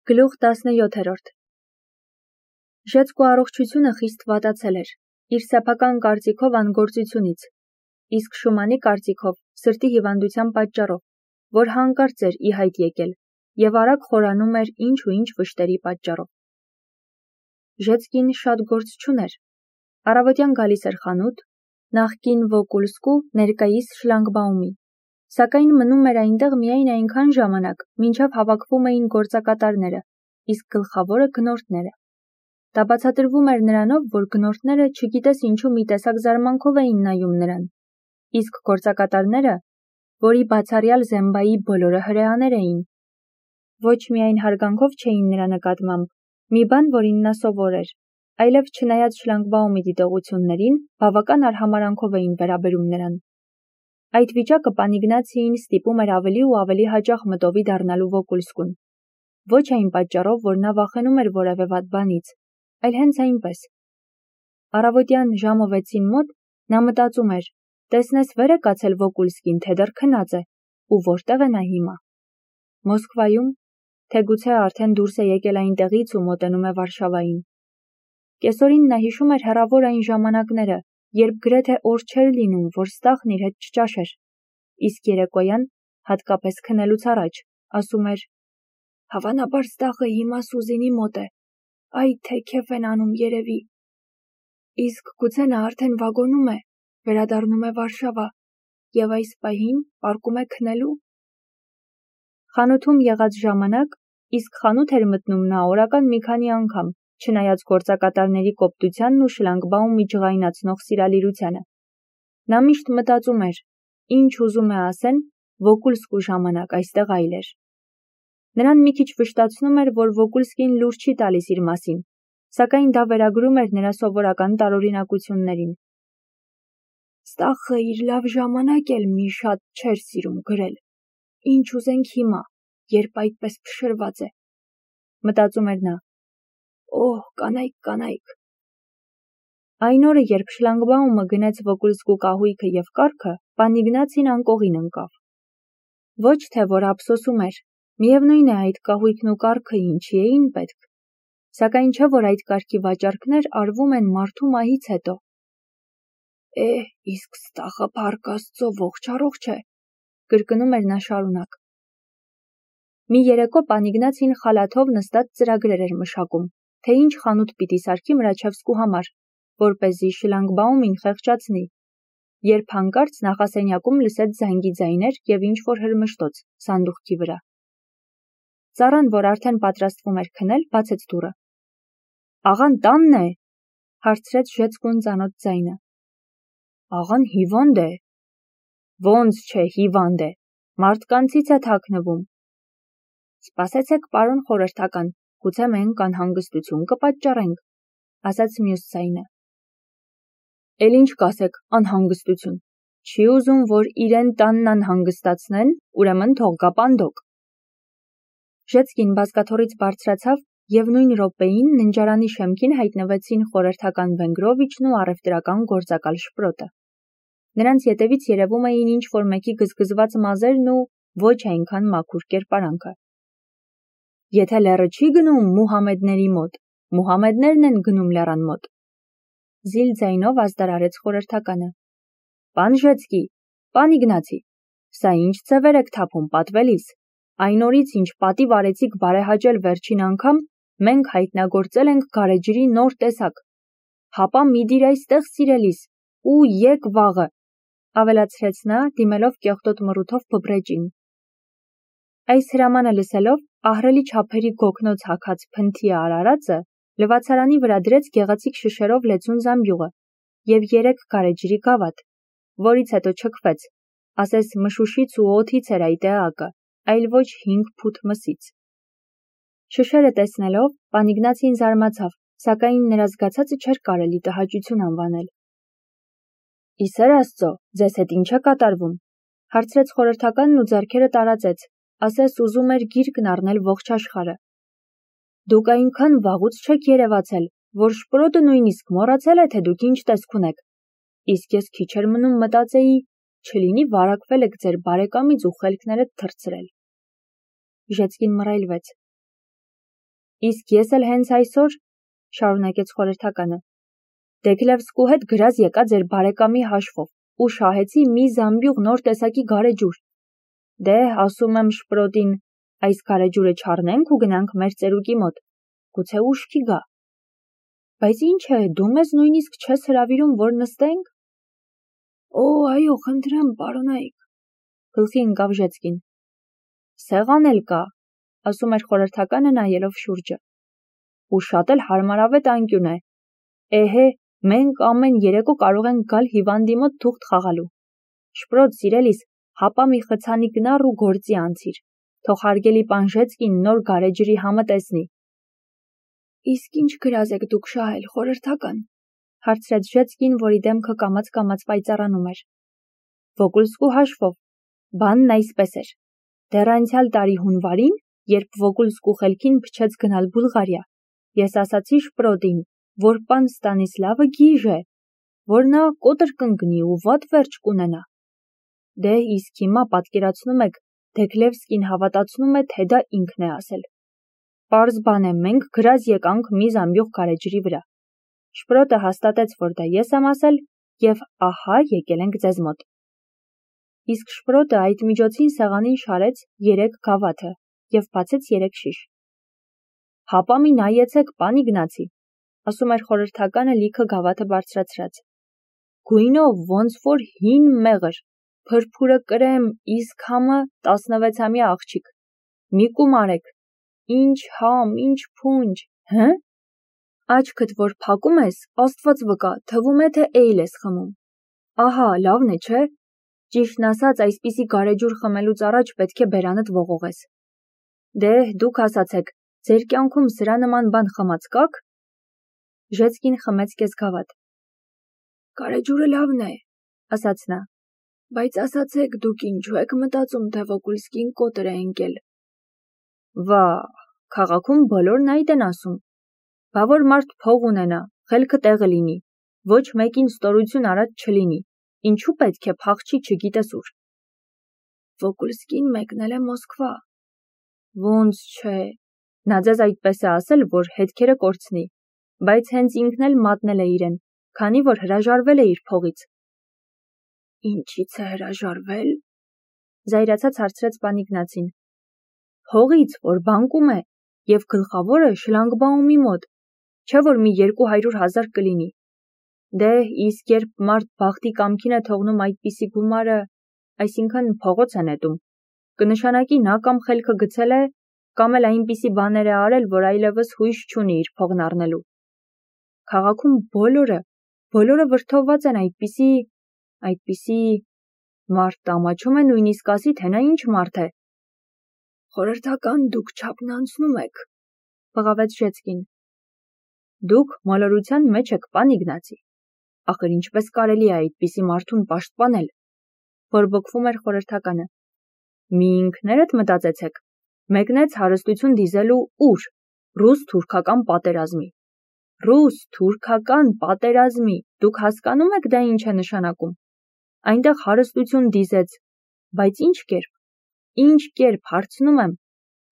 Գլուխ 17 Ժեցկու առողջությունը խիստ վատացել էր, իր սեփական կարծիքով անգործությունից, իսկ Շումանի կարծիքով սրտի հիվանդության պատճառով, որ հանկարծ էր ի հայտ եկել և արագ խորանում էր ինչ ու ինչ վշտերի պատճառով։ Ժեցկին շատ գործ չուներ, առավոտյան գալիս էր խանութ, նախկին Վոկուլսկու, ներկայիս Շլանգբաումի, սակայն մնում էր այնտեղ միայն այնքան ժամանակ, մինչև հավաքվում էին գործակատարները, իսկ գլխավորը գնորդները։ Դա բացատրվում էր նրանով, որ գնորդները չգիտես ինչու մի տեսակ զարմանքով էին նայում նրան, իսկ գործակատարները, որի բացառյալ Զեմբայի բոլորը հրեաներ էին, ոչ միայն հարգանքով չէին նրա նկատմամբ, մի բան, որին նա սովոր էր, այլև չնայած Շլանգբաումի դիտողություններին, բավական արհամարհանքով էին վերաբերում նրան։ Այդ վիճակը պան Իգնացիին ստիպում էր ավելի ու ավելի հաճախ մտովի դառնալու Վոկուլսկուն, ոչ այն պատճառով, որ նա վախենում էր որևէ վատ բանից, այլ հենց այնպես։ Առավոտյան ժամը 6-ին մոտ նա մտածում էր, տեսնես վեր է կացել Վոկուլսկին, թե դեռ քնած է, ու որտեղ է նա հիմա։ Մոսկվայում, թե գուցե արդեն դուրս է եկել այնտեղից ու մոտենում է Վարշավային։ Կեսօրին նա հիշում էր հեռավոր այն ժամանակները, երբ գրեթե օր չէր լինում, որ Ստախն իր հետ չճաշեր, իսկ երեկոյան, հատկապես քնելուց առաջ, ասում էր. «Հավանաբար Ստախը հիմա Սուզինի մոտ է, այ թե քեֆ են անում երևի, իսկ գուցե նա արդեն վագոնում է, վերադառնում է Վարշավա և այս պահին պառկում է քնելու»։ Խանութում եղած ժամանակ, իսկ խանութ էր մտնում նա օրական մի քանի անգամ, չնայած գործակատարների կոպտությանն ու Շլանգբաումի ջղայնացնող սիրալիրությանը։ Նա միշտ մտածում էր, ինչ ուզում է ասեն, Վոկուլսկու ժամանակ այստեղ այլ էր։ Նրան մի քիչ վշտացնում էր, որ Վոկուլսկին լուր չի տալիս իր մասին, սակայն դա վերագրում էր նրա սովորական տարօրինակություններին։ Ստախը իր լավ ժամանակ էլ մի շատ չէր սիրում գրել, ինչ ուզենք հիմա, երբ այդպես փշրված է, մտածում էր նա։ Օհ, կանայք։ Այն օրը, երբ Շլանգբաումը գնեց Վոկուլսկու կահույքը և կառքը, պան Իգնացին անկողին ընկավ։ Ոչ թե որ ափսոսում էր, միևնույն է այդ կահույքն ու կառքը ինչի էին պետք, սակայն չէ որ այդ կարգի վաճառքներ արվում են մարդու մահից հետո։ Իսկ Ստախը փառք Աստծո ողջ առողջ է, կրկնում էր նա շարունակ։ Մի երեկո պան Իգնացին խալաթով նստած ծրագրեր էր մշակում, թե ինչ խանութ պիտի սարքի Մրաչևսկու համար, որպեսզի Շլանգբաումին խեղճացնի, երբ հանկարծ նախասենյակում լսեց զանգի ձայներ և ինչ-որ հրմշտոց սանդուղքի վրա։ Ծառան, որ արդեն պատրաստվում էր քնել, բացեց դուռը։ Աղան տանն է, հարցրեց Ժեցկուն ծանոթ ձայնը։ Աղան հիվանդ է։ Ոնց չէ հիվանդ է, մարդկանցից է թաքնվում։ Սպասեցեք, պարոն խորհրդական, գուցե մենք անհանգստություն կպատճառենք, ասաց մյուս ձայնը։ Էլ ինչ կասեք, անհանգստություն։ Չի ուզում, որ իրեն տանն անհանգստացնեն, ուրեմն թող գա պանդոկ։ Ժեցկին բազկաթոռից բարձրացավ և նույն րոպեին ննջարանի շեմքին հայտնվեցին խորհրդական Վենգրովիչն ու առևտրական գործակալ Շպրոտը։ Նրանց ետևից երևում էին ինչ-որ մեկի գզգզված մազերն ու ոչ այնքան մաքուր կերպարանքը։ Եթե լեռը չի գնում Մուհամեդների մոտ, Մուհամեդներն են գնում լեռան մոտ։ Զիլ ձայնով ազդարարեց խորհրդականը։ Պան Ժեցկի, պան Իգնացի, սա ինչ ձևեր եք թափում պատվելիս, այն օրից ինչ պատիվ արեցիք բարեհաճել վերջին անգամ, մենք հայտնագործել ենք գարեջրի նոր տեսակ։ Հապա մի դիր այստեղ սիրելիս, ու եկ վաղը, ավելացրեց նա, դիմելով կեղտոտ մռութով բբրեջին։ Այս հրամանը լսելով, ահռելի չափերի գոգնոց հագած փնթի արարածը լվացարանի վրա դրեց գեղեցիկ շշերով լեցուն զամբյուղը և 3 գարեջրի գավաթ, որից հետո չքվեց, ասես մշուշից ու օդից էր այդ էակը, այլ ոչ 5 փութ մսից։ Շշերը տեսնելով, պան Իգնացին զարմացավ, սակայն նրա զգացածը չէր կարելի տհաճություն անվանել։ Իսեր Աստծո, ձեզ հետ ինչ է կատարվում, հարցրեց խորհրդականն ու ձեռքերը տարածեց, ասես ուզում էր գիրկն առնել ողջ աշխարհը։ Դուք այնքան վաղուց չեք երևացել, որ Շպրոտը նույնիսկ մոռացել է, թե դուք ինչ տեսք ունեք, իսկ ես քիչ էր մնում մտածեի, չլինի վարակվել եք ձեր բարեկամից ու խելքներդ թռցրել։ Ժեցկին մռայլվեց։ Իսկ ես էլ հենց այսօր, շարունակեց խորհրդականը, Դեքլևսկու հետ գրած եկա ձեր բարեկամի հաշվով ու շահեցի մի զամբյուղ նոր տեսակի գարեջուր։ Դե, ասում եմ Շպրոտին, այս գարեջուրը չառնենք ու գնանք մեր ծերուկի մոտ, գուցե ուշքի գա։ Բայց ինչ է, դու մեզ նույնիսկ չես հրավիրում, որ նստենք։ Օ, այո, խնդրեմ, պարոնայք, գլխի ընկավ Ժեցկին։ Սեղան էլ կա, ասում էր խորհրդականը նայելով շուրջը։ Ու շատ էլ հարմարավետ անկյուն է։ Էհե, մենք ամեն երեկո կարող ենք գալ հիվանդի մոտ թուղթ խաղալու։ Շպրոտ, սիրելիս, հապա մի խցանի գնար ու գործի անցիր, թող հարգելի պան Ժեցկին նոր գարեջրի համը տեսնի։ Իսկ ինչ գրած եք դուք շահել, խորհրդական, հարցրեց Ժեցկին, որի դեմքը կամաց-կամաց պայծառանում էր։ Վոգուլսկու հաշվով, բանն այսպես էր։ Դեռ անցյալ տարի հունվարին, երբ Վոգուլսկու խելքին փչեց գնալ Բուլղարիա, ես ասացի Շպրոտին, որ պան Ստանիսլավը գիժ է, որ նա կոտրկ կընկնի ու վատ վերջ կունենա։ Դե իսկ հիմա պատկերացնում եք, Դեքլևսկին հավատացնում է, թե դա ինքն է ասել։ Պարզ բան է, մենք գրած եկանք մի զամբյուղ գարեջրի վրա։ Շպրոտը հաստատեց, որ դա ես եմ ասել, եւ ահա եկել ենք ձեզ մոտ։ Իսկ Շպրոտը այդ միջոցին սեղանին շարեց 3 գավաթը եւ բացեց 3 շիշ։ Հապա մի նայեցեք, պան Իգնացի, ասում էր խորհրդականը լիքը գավաթը բարձրացրած։ Գույնով ոնց որ հին մեղր, փրփուրը կրեմ, իսկ համը 16-ամյա աղջիկ։ Մի կումարեք, ինչ համ, ինչ փունջ, հը՞։ Աչքդ որ փակում ես, Աստված վկա, թվում է թե էյլ ես խմում։ Ահա, լավն է, չէ՞։ Ճիշտն ասած, այսպիսի գարեջուր խմելուց առաջ պետք է բերանդ ողողես։ Դե, դուք ասացեք, ձեր կյանքում սրա նման բան խմած կաք։ Ժեցկին խմեց կես գավաթ։ Գարեջուրը լավն է, ասաց նա, բայց ասացեք, դուք ինչու եք մտածում, թե Վոգուլսկին կոտր է ընկել։ Վա, քաղաքում բոլորն այդ են ասում։ Բա որ մարդ փող ունենա, խելքը տեղը լինի, ոչ մեկին ստորություն արած չլինի, ինչու պետք է փախչի չգիտես ուր։ Վոգուլսկին մեկնել է Մոսկվա։ Ոնց չէ, նա ձեզ այդպես է ասել, որ հետքերը կորցնի, բայց հենց ինքն էլ մատնել է իրեն, քանի որ հրաժարվել է իր փողից։ Ինչից է հրաժարվել։ Զայրացած հարցրեց պան Իգնացին։ Փողից, որ բանկում է, եւ գլխավորը շլանգբաումի մոտ, չէ որ մի 200,000 կլինի։ Դե, իսկ երբ մարդ բախտի կամքին է թողնում այդպիսի գումարը, այսինքն փողոց է նետում, կնշանակի նա կամ խելքը գցել է, կամ էլ այնպիսի բաներ է արել, որ այլևս հույս չունի իր փողն առնելու։ Քաղաքում բոլորը վրդովված են այդպիսի մարդ ամաչում է նույնիսկ ասի, թե նա ինչ մարդ է։ Խորհրդական, դուք չափն անցնում եք, բղավեց Ժեցկին։ Դուք մոլորության մեջ եք, պան Իգնացի։ Ախր ինչպես կարելի է այդպիսի մարդուն պաշտպանել, բորբոքվում էր խորհրդականը։ Մի ինքներդ մտածեցեք, մեկնեց հարստություն դիզելու ուր, ռուս-թուրքական պատերազմի։ Ռուս-թուրքական պատերազմի, դուք հասկանում եք դա ինչ է նշանակում։ Այնտեղ հարստություն դիզեց, բայց ինչ կերպ, հարցնում եմ,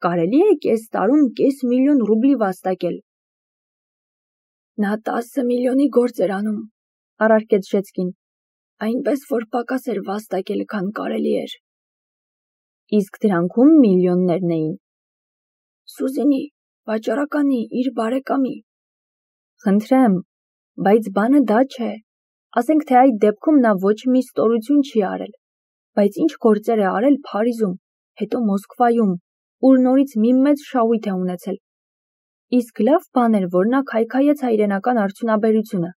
կարելի է կես տարում կես միլիոն ռուբլի վաստակել։ Նա 10 միլիոնի գործ էր անում, առարկեց Ժեցկին, այնպես որ պակաս էր վաստակել, քան կարելի էր։ Իսկ դրանքում միլիոններն էին։ Սուզինի, վաճառականի, իր բարեկամի։ Խնդրեմ, բայց բանը դա չէ։ Ասենք թե այդ դեպքում նա ոչ մի ստորություն չի արել, բայց ինչ գործեր է արել Փարիզում, հետո Մոսկվայում, ուր նորից մի մեծ շահույթ է ունեցել։ Իսկ լավ բան էր, որ նա քայքայեց հայրենական արդյունաբերությունը,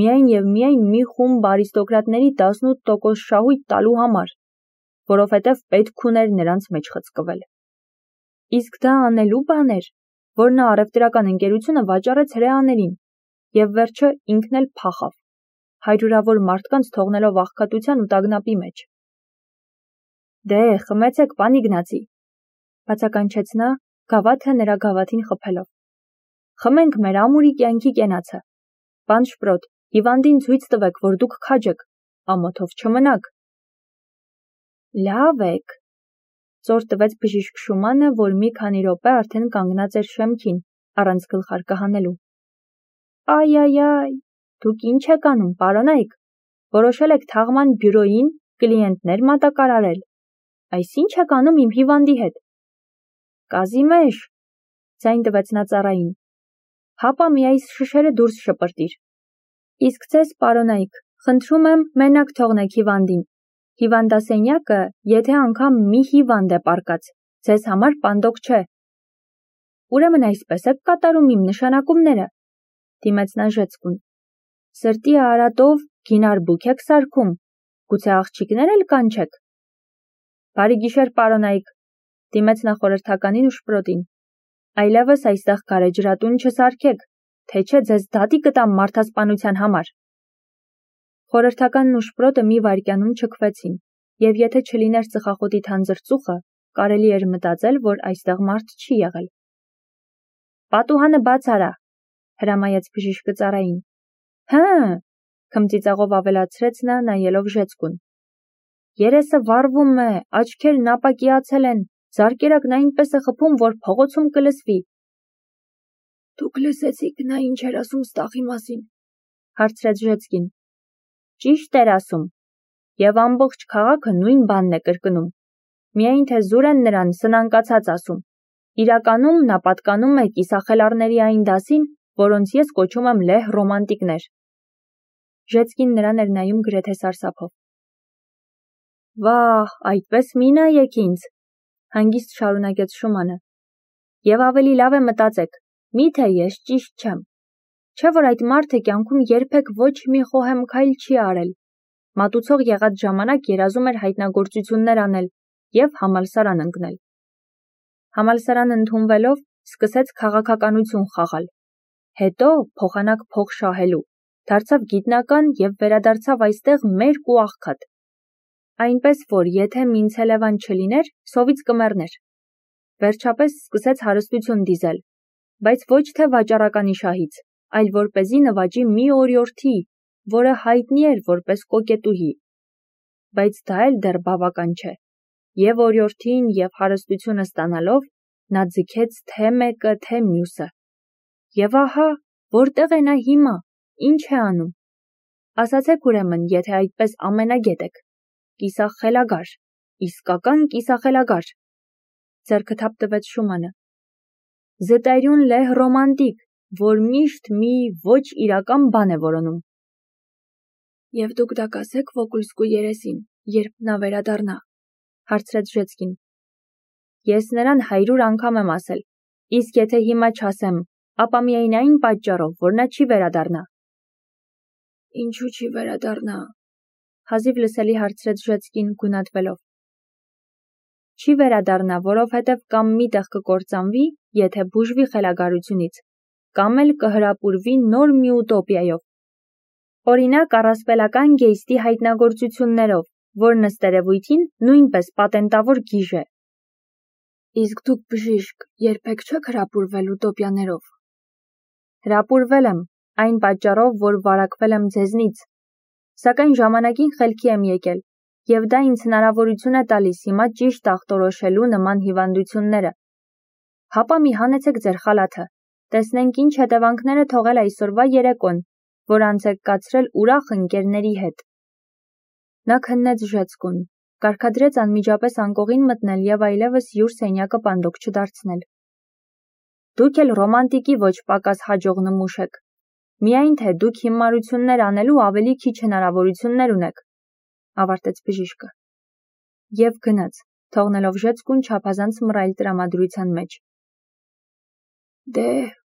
միայն եւ միայն մի խումբ արիստոկրատների 18% շահույթ տալու համար, որովհետև պետք ուներ նրանց մեջ խցկվել։ Իսկ դա անելու բան էր, որ նա առևտրական ընկերությունը վաճառեց հրեաներին, եւ վերջը ինքն էլ փախավ, հարյուրավոր մարդկանց թողնելով աղքատության ու տագնապի մեջ։ Դե, խմեցեք, պան Իգնացի, բացականչեց նա, գավաթը նրա գավաթին խփելով։ Խմենք մեր ամուրի կյանքի կենացը։ Պան Շպրոտ, հիվանդին ցույց տվեք, որ դուք քաջ եք, ամոթով չմնաք։ Լավ եք, ծոր տվեց բժիշկ Շումանը, որ մի քանի րոպե արդեն կանգնած էր շեմքին, առանց գլխարկը հանելու։ Այ, դուք ինչ եք անում, պարոնայք, որոշել եք թաղման բյուրոյին կլիենտներ մատակարարել, այս ինչ եք անում իմ հիվանդի հետ։ Կազիմեշ, ձայն տվեց նա ծառային, հապա մի այս շշերը դուրս շպրտիր։ Իսկ ձեզ, պարոնայք, խնդրում եմ մենակ թողնեք հիվանդին, հիվանդասենյակը, եթե անգամ մի հիվանդ է պառկած, ձեզ համար պանդոկ չէ։ Ուրեմն այսպես եք կատարում իմ նշանակումները, դիմեց նա Ժեցկուն, սրտի արատով գինարբուք եք սարքում, գուցե աղջիկներ էլ կանչեք։ Բարի գիշեր, պարոնայք, դիմեց նա խորհրդականին ու շպրոտին, այլևս այստեղ գարեջրատուն չսարքեք, թե չէ ձեզ դատի կտամ մարդասպանության համար։ Խորհրդականն ու շպրոտը մի վայրկյանում չքվեցին, և եթե չլիներ ծխախոտի թանձր ծուխը, կարելի էր մտածել, որ այստեղ մարդ չի եղել։ Պատուհանը բաց արա, հրամայեց բժիշկը ծառային։ Հը, քմծիծաղով ավելացրեց նա, նայելով Ժեցկուն։ Երեսը վառվում է, աչքերն ապակիացել են, զարկերակն այնպես է խփում, որ փողոցում կլսվի։ Դուք լսեցիք նա ինչ էր ասում ստախի մասին, հարցրեց Ժեցկին։ Ճիշտ էր ասում, և ամբողջ քաղաքը նույն բանն է կրկնում, միայն թե զուր են նրան սնանկացած ասում։ Իրականում նա պատկանում է կիսախելառների այն դասին, որոնց ես կոչում եմ լեհ ռոմանտիկներ։ Ժեցկին նրան էր նայում գրեթե սարսափով։ Վահ, այդպես մի նայեք ինձ, հանգիստ շարունակեց Շումանը։ Եվ ավելի լավ է մտածեք, միթե ես ճիշտ չեմ։ Չէ՞ որ այդ մարդը կյանքում երբեք ոչ մի խոհեմ քայլ չի արել։ Մատուցող եղած ժամանակ երազում էր հայտնագործություններ անել և համալսարան ընկնել։ Համալսարան ընդունվելով սկսեց քաղաքականություն խաղալ։ Հետո, փոխանակ փող շահելու, դարձավ գիտնական և վերադարձավ այստեղ մերկ ու աղքատ։ Այնպես որ, եթե Մինցելևան չլիներ, սովից կմեռներ։ Վերջապես սկսեց հարստություն դիզել, բայց ոչ թե վաճառականի շահից, այլ որպեսզի նվաճի մի օրիորդի, որը հայտնի էր որպես կոկետուհի։ Բայց դա էլ դեռ բավական չէ։ Եվ օրիորդին և հարստությունը ստանալով, նա ձգեց թե մեկը, թե մյուսը։ Եվ ահա, որտեղ է նա հիմա, ինչ է անում։ Ասացեք ուրեմն, եթե այդպես ամենագետ եք։ Կիսախելագար, իսկական կիսախելագար։ Ձեռքը թափ տվեց Շումանը։ Զտայրյուն լեհ ռոմանտիկ, որ միշտ մի ոչ իրական բան է որոնում։ Եվ դուք դա կասեք Վոկուլսկու երեսին, երբ նա վերադառնա, հարցրեց Ժեցկին։ Ես նրան 100 անգամ եմ ասել, իսկ եթե հիմա չասեմ, ապա միայն այն պատճառով, որ նա չի վերադառնա։ Ինչու չի վերադառնա, հազիվ լսելի հարցրեց Ժեցկին գունատվելով։ Չի վերադառնա, որովհետև կամ մի տեղ կկործանվի, եթե բուժվի խելագարությունից, կամ էլ կհրապուրվի նոր մի ուտոպիայով։ Օրինակ առասպելական գեյստի հայտնագործություններով, որն ըստ երևույթին նույնպես պատենտավոր գիժ է։ Իսկ դուք բժիշկ, երբեք չեք հրապուրվել ուտոպիաներով։ Հրապուրվել եմ, այն պատճառով, որ վարակվել եմ ձեզնից։ Սակայն ժամանակին խելքի եմ եկել, և դա ինձ հնարավորություն է տալիս հիմա ճիշտ ախտորոշելու նման հիվանդությունները։ Հապա մի հանեցեք ձեր խալաթը, տեսնենք ինչ հետևանքներ է թողել այսօրվա երեկոն, որ անց եք կացրել ուրախ ընկերների հետ։ Նա քննեց Ժեցկուն, կարգադրեց անմիջապես անկողին մտնել և այլևս յուր սենյակը պանդոկ չդարձնել։ Դուք էլ ռոմանտիկի ոչ պակաս հաջող նմուշ եք, միայն թե դուք հիմարություններ անելու ավելի քիչ հնարավորություններ ունեք, ավարտեց բժիշկը։ Եվ գնաց, թողնելով Ժեցկուն չափազանց մռայլ տրամադրության մեջ։ Դե,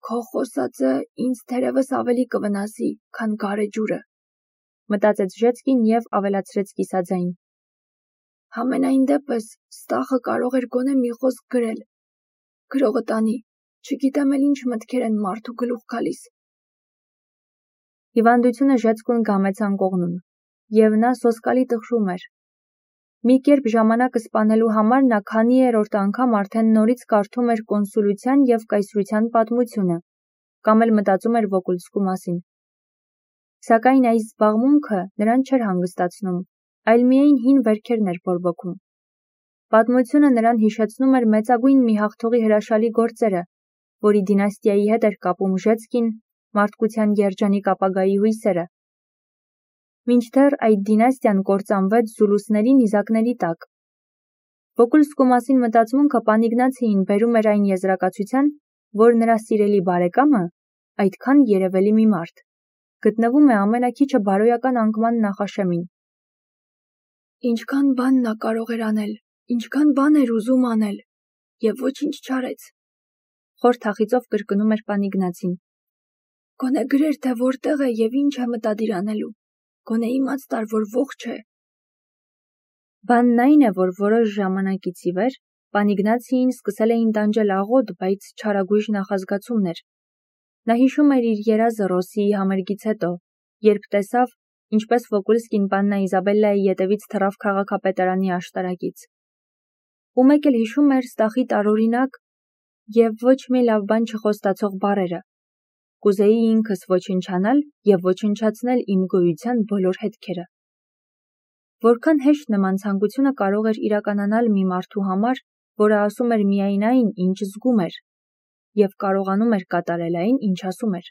քո խոսածը ինձ թերևս ավելի կվնասի, քան գարեջուրը, մտածեց Ժեցկին և ավելացրեց կիսաձայն։ Համենայն դեպս, ստախը կարող էր գոնե մի խոսք գրել։ Գրողը տանի, չգիտեմ էլ ինչ մտքեր են մարդու գլուխ գալիս։ Հիվանդությունը Ժեցկուն գամեց անկողնում, և նա սոսկալի տխրում էր։ Մի կերպ ժամանակը սպանելու համար նա քանիերորդ անգամ արդեն նորից կարդում էր կոնսուլության և կայսրության պատմությունը, կամ էլ մտածում էր Վոկուլսկու մասին։ Սակայն այս զբաղմունքը նրան չէր հանգստացնում, այլ միայն հին վերքերն էր բորբոքում։ Պատմությունը նրան հիշեցնում էր մեծագույն մի հաղթողի հրաշալի գործերը, որի դինաստիայի հետ էր կապում Ժեցկին, մարդկության երջանիկ ապագայի հույսերը։ Մինչդեռ այդ դինաստիան կործանվեց զուլուսների նիզակների տակ։ Վոկուլսկու մասին մտածմունքը Պանիգնացիին բերում էր այն եզրակացության, որ նրա սիրելի բարեկամը, այդքան երևելի մի մարդ, գտնվում է ամենաքիչը բարոյական անկման նախաշեմին։ Ինչքան բան նա կարող էր անել, ինչքան բան էր ուզում անել, և ոչինչ չարեց, խորթախիծով կրկնում էր Պանիգնացին։ Գոնե գրեր, թե որտեղ է և ինչ է մտադիր անելու, գոնե իմաց տար, որ ողջ է։ Բանն այն է, որ որոշ ժամանակից ի վեր Պանիգնացիին սկսել էին տանջել աղոտ, բայց չարագույժ նախազգացումներ։ Նա հիշում էր իր երազը Ռոսիի համերգից հետո, երբ տեսավ, ինչպես Վոկուլսկին Պաննա Իզաբելլայի ետևից թռավ քաղաքապետարանի աշտարակից։ Ու մեկ էլ հիշում էր Ստախի տարօրինակ և ոչ մի լավ բան չխոստացող բառերը. «Կուզեի ինքս ոչնչանալ և ոչնչացնել իմ գոյության բոլոր հետքերը»։ Որքան հեշտ նման ցանկությունը կարող էր իրականանալ մի մարդու համար, որը ասում էր միայն այն, ինչ զգում էր, և կարողանում էր կատարել այն, ինչ ասում էր։